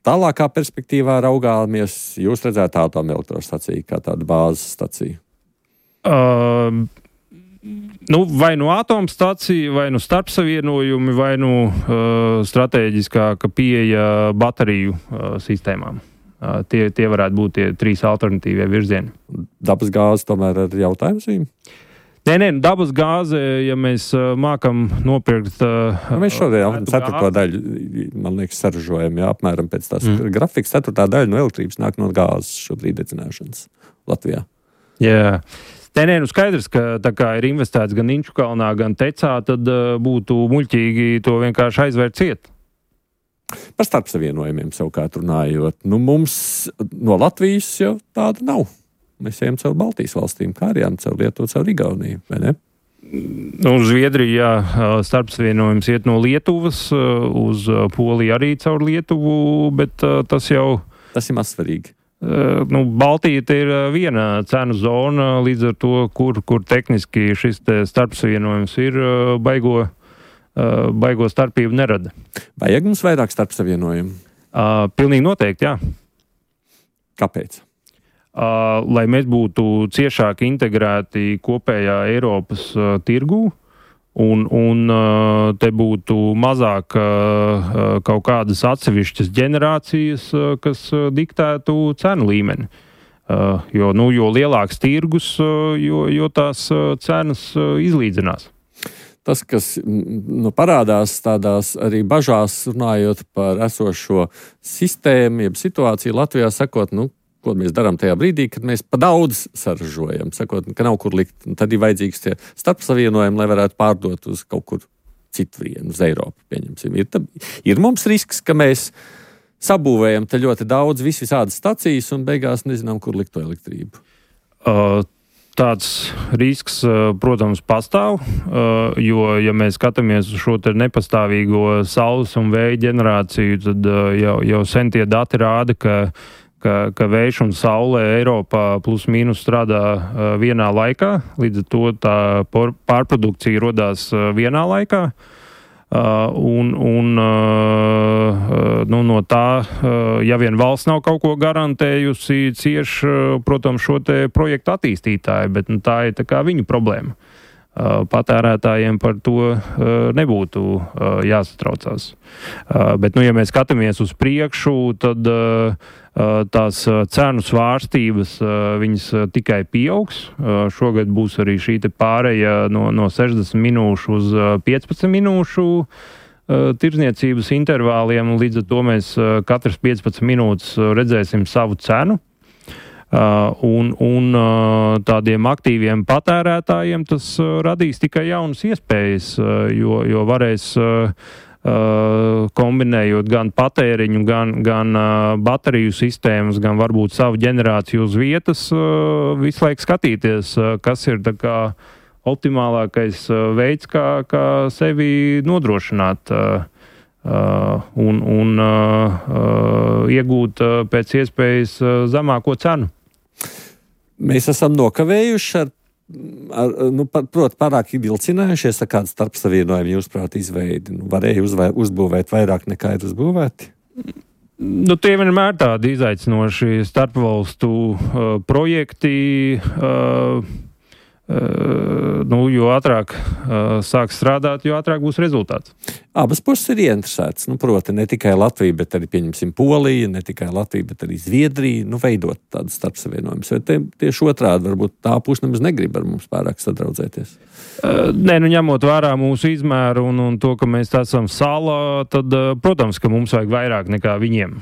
tālākā perspektīvā raugāmies, jūs redzētu atomelektrostaciju kā tādu bāzes staciju? Vai nu atomstacija, vai nu starpsavienojumi, vai nu strateģiskāka pieeja bateriju sistēmām. Tie varētu būt tie 3 alternatīvie virzieni. Dabas gāze tomēr ir jautājums viņam? Nē, dabas gāze, ja mēs mākam nopirkt... Mēs šodien 4. daļu, man liekas, saražojam, apmēram pēc tās grafikas. 4. daļa no elektrības nāk no gāzes šobrīd dedzināšanas Latvijā. Jā. Nē, skaidrs, ka tā kā ir investēts gan Inču kalnā, gan tecā, tad būtu muļķīgi to vienkārši aizvērt ciet. Par starpsavienojumiem savukārt runājot. Mums no Latvijas jau tāda nav. Mēs ejam caur Baltijas valstīm, kā arī caur Lietuvu, caur Igauniju, vai ne? Zviedriju, jā, starpsavienojums iet no Lietuvas, uz Poliju arī caur Lietuvu, bet tas ir mazsvarīgi. Baltija ir viena cenu zona, līdz ar to, kur tehniski šis starpsavienojums ir, baigo starpību nerada. Vajag mums vairāk starpsavienojumu? Pilnīgi noteikti, jā. Kāpēc? Lai mēs būtu ciešāk integrēti kopējā Eiropas tirgū un te būtu mazāk kaut kādas atsevišķas ģenerācijas, kas diktētu cenu līmeni. Jo lielāks tirgus, jo tās cenas izlīdzinās. Tas, kas parādās tādās arī bažās, runājot par esošo sistēmu, jeb situāciju Latvijā, sakot, ko mēs darām tajā brīdī, kad mēs pa daudz saražojam, sakot, ka nav kur likt. Tad ir vajadzīgs tie starpsavienojumi, lai varētu pārdot uz kaut kur citvienu, uz Eiropu, pieņemsim. Ir mums risks, ka mēs sabūvējam te ļoti daudz visādas stacijas un beigās nezinām, kur likt to elektrību. Tāds risks, protams, pastāv, jo, ja mēs skatāmies uz šo te nepastāvīgo saules un vēja ģenerāciju, tad jau sen tie dati rāda, ka vējš un saule Eiropā plus mīnus strādā vienā laikā, līdz ar to tā pārprodukcija rodās vienā laikā. No tā, ja vien valsts nav kaut ko garantējusi, cieš, protams, šo te projektu attīstītāji, bet tā ir tā kā viņu problēma. Patērētājiem par to nebūtu jāsatraucās. Bet, ja mēs skatāmies uz priekšu, tad tās cenu svārstības viņas tikai pieaugs. Šogad būs arī šī te pāreja no 60 minūšu uz 15 minūšu tirdzniecības intervāliem, un līdz ar to mēs katras 15 minūtes redzēsim savu cenu. Un tādiem aktīviem patērētājiem tas radīs tikai jaunas iespējas, jo varēs kombinējot gan patēriņu, gan bateriju sistēmas, gan varbūt savu ģenerāciju uz vietas, visu laiku skatīties, kas ir tā kā optimālākais veids, kā sevi nodrošināt un iegūt pēc iespējas zemāko cenu. Mēs esam nokavējuši pārāk vilcinājušies ar kādu starpsavienojumu, jūsuprāt, izveidi. Varēja uzbūvēt vairāk nekā ir uzbūvēti? Tie vienmēr tādi izaicinoši starpvalstu projekti. Jo ātrāk sāk strādāt, jo ātrāk būs rezultāts. Abas puses ir ieinteresētas. Proti, ne tikai Latvija, bet arī, pieņemsim, Polija, ne tikai Latvija, bet arī Zviedrija, veidot tādas starpsavienojumus. Vai tieši otrādi, varbūt tā puse nemaz negrib ar mums pārāk sadraudzēties? Ņemot vērā mūsu izmēru un to, ka mēs esam salā, tad, protams, ka mums vajag vairāk nekā viņiem.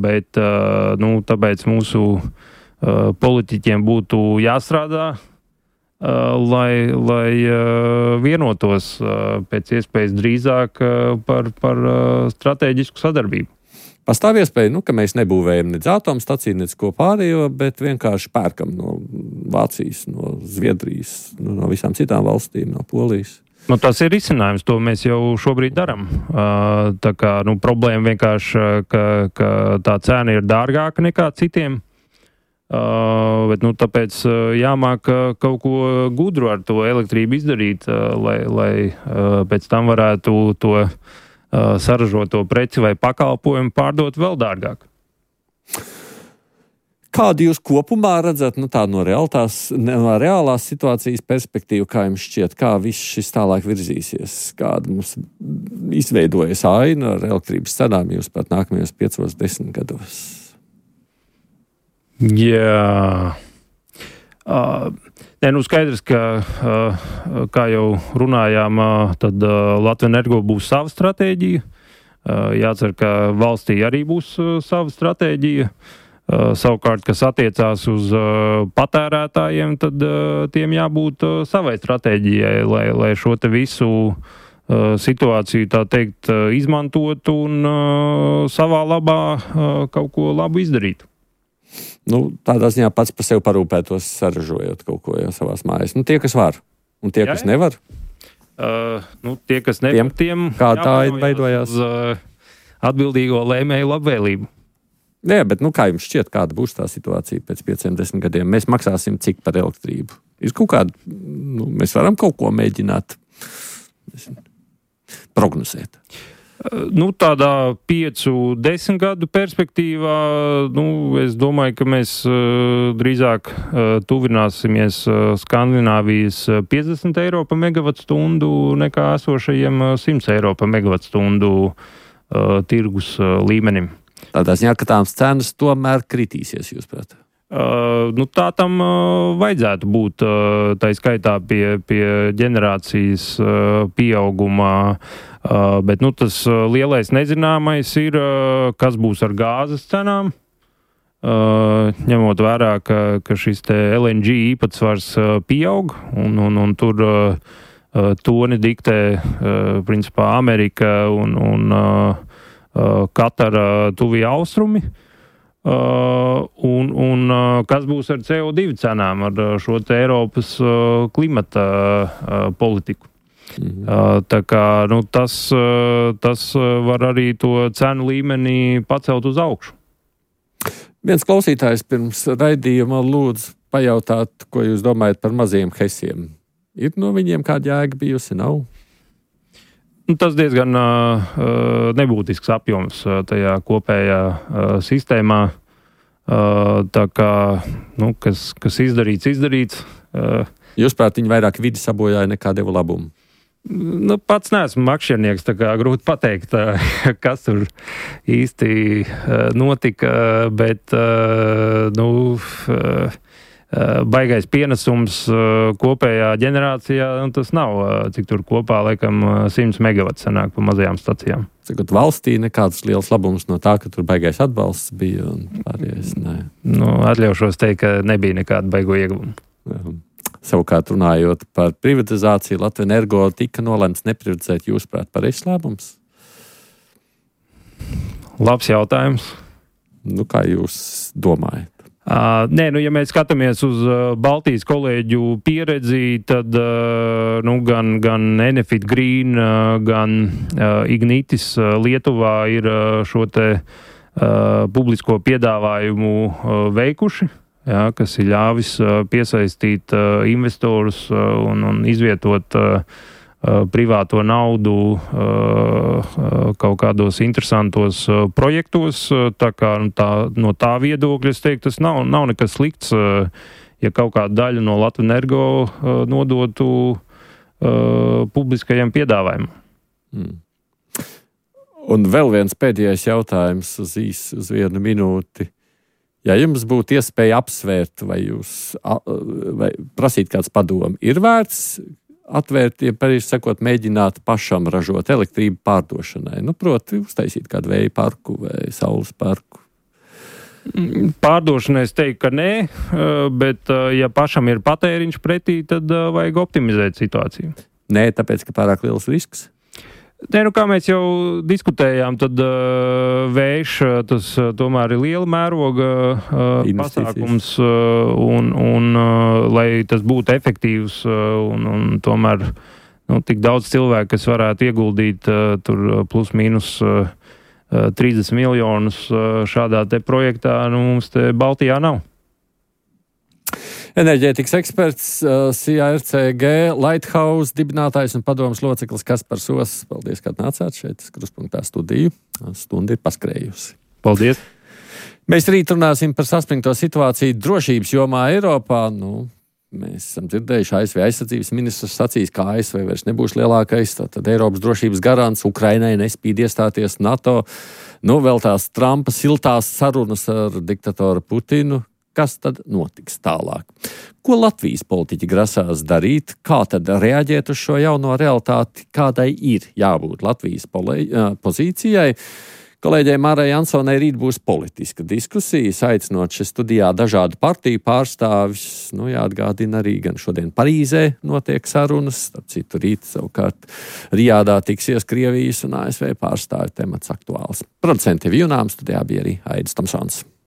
Bet, tāpēc mūsu politiķiem būtu jāstrādā, lai vienotos pēc iespējas drīzāk par stratēģisku sadarbību. Pastāv iespēja, ka mēs nebūvējam nec atomstaciju, nec ko pārējo, bet vienkārši pērkam no Vācijas, no Zviedrijas, no visām citām valstīm, no Polijas. Tas ir risinājums, to mēs jau šobrīd darām. Tā kā problēma vienkārši, ka tā cena ir dārgāka nekā citiem. Bet tāpēc jāmāk kaut ko gudru ar to elektrību izdarīt, lai pēc tam varētu to saražoto preci vai pakalpojumu pārdot vēl dārgāk. Kādu jūs kopumā redzat no reālās situācijas perspektīvu, kā jums šķiet, kā viss šis tālāk virzīsies, kāda mums izveidojas aina ar elektrības cenām jūs pat nākamajos 5-10 gados? Jā. Skaidrs, ka, kā jau runājām, tad Latvijas Energo būs sava stratēģija. Jācer, ka valstī arī būs sava stratēģija. Savukārt, kas attiecās uz patērētājiem, tad tiem jābūt savai stratēģijai, lai šo te visu situāciju, tā teikt, izmantot un savā labā kaut ko labu izdarīt. Tādā ziņā pats par sevi parūpētos, saražojot kaut ko savās mājās. Tie, kas var. Un tie, kas nevar? Tie, kas nevar, tiem kā tā veidojās? Atbildīgo lēmēju labvēlību. Jā, bet kā jums šķiet, kāda būs tā situācija pēc 5-10 gadiem? Mēs maksāsim cik par elektrību? Ir kaut kāda, mēs varam kaut ko mēģināt prognozēt. Tādā 5-10 gadu perspektīvā, es domāju, ka mēs drīzāk tuvināsimies Skandināvijas 50 eiro pa megavatstundu nekā esošajiem 100 eiro pa megavatstundu tirgus līmenim. Tādā ziņā, ka tās cenas tomēr kritīsies, jūs prāt? Tā tam vajadzētu būt, tā skaitā pie ģenerācijas pieaugumā, bet tas lielais nezināmais ir, kas būs ar gāzes cenām, ņemot vērā, ka šis te LNG īpatsvars pieaug, un tur toni diktē principā Amerika un Katara tuvie austrumi. Un kas būs ar CO2 cenām, ar šo te Eiropas klimata politiku. Tā kā tas var arī to cenu līmenī pacelt uz augšu. Viens klausītājs pirms raidījuma lūdzu pajautāt, ko jūs domājat par mazajiem hesiem. Ir no viņiem kāda jēga bijusi, nav? Tas diezgan nebūtisks apjoms tajā kopējā sistēmā. Tā kā, kas izdarīts. Jūs prāt, viņi vairāk vidi sabojāja nekā deva labumu? Pats neesmu makšķernieks, tā kā grūti pateikt, kas tur īsti notika, bet, baigais pienesums kopējā ģenerācijā, tas nav, cik tur kopā, laikam, 100 megavats sanāk pa mazajām stacijām. Cikot valstī nekāds liels labums no tā, ka tur baigais atbalsts bija un pārējais, nē. Atļaušos teikt, ka nebija nekāda baigo ieguvumu. Savukārt runājot par privatizāciju, Latvenergo tika nolemts neprivatizēt, jūsuprāt, pareizs lēmums? Labs jautājums. Kā jūs domājat? Ja mēs skatāmies uz Baltijas kolēģu pieredzi, tad gan Enefit Green, gan Ignitis Lietuvā ir šo te publisko piedāvājumu veikuši, kas ir ļāvis piesaistīt investorus un izvietot privāto naudu kaut kādos interesantos projektos. Tā kā no tā viedokļa, es teiktu, tas nav nekas slikts, ja kaut kādu daļu no Latvenergo nodotu publiskajam piedāvājumam. Un vēl viens pēdējais jautājums uz 1 minūti. Ja jums būtu iespēja apsvērt vai prasīt kāds padomu, ir vērts atvērt, mēģināt pašam ražot elektrību pārdošanai. Proti, uztaisīt kādu vēja parku vai saules parku. Pārdošanai es teiktu, ka nē, bet ja pašam ir patēriņš pretī, tad vajag optimizēt situāciju. Nē, tāpēc, ka pārāk liels risks? Kā mēs jau diskutējām, tad vējš tas tomēr ir liela mēroga pasākums, un lai tas būtu efektīvs, un tomēr tik daudz cilvēku, kas varētu ieguldīt tur plus mīnus 30 miljonus šādā te projektā, mums te Baltijā nav. Enerģētikas eksperts, CARCG, Lighthouse dibinātājs un padomas loceklis Kaspars Oss. Paldies, ka atnācāt šeit, Kruspunktā studiju. Stunda ir paskrējusi. Paldies! Mēs rīt runāsim par saspringto situāciju drošības jomā Eiropā. Mēs esam dzirdējuši, ASV aizsardzības ministrs sacīs, ka ASV vairs nebūs lielākais, tad Eiropas drošības garants, Ukrainai nespīd iestāties NATO. Vēl tās Trumpa siltās sarunas ar diktatoru Putinu. Kas tad notiks tālāk? Ko Latvijas politiķi grasās darīt? Kā tad reaģēt uz šo jauno realitāti? Kādai ir jābūt Latvijas pozīcijai? Kolēģei Mārai Jansonai rīt būs politiska diskusija, aicinot šeit studijā dažādu partiju pārstāvis. Jāatgādina arī gan šodien Parīzē notiek sarunas, starp citu rīt savukārt Rijādā tiksies Krievijas un ASV pārstāvju temats aktuāls. Producenti Vijunām studijā bija arī Aidis Tomsons.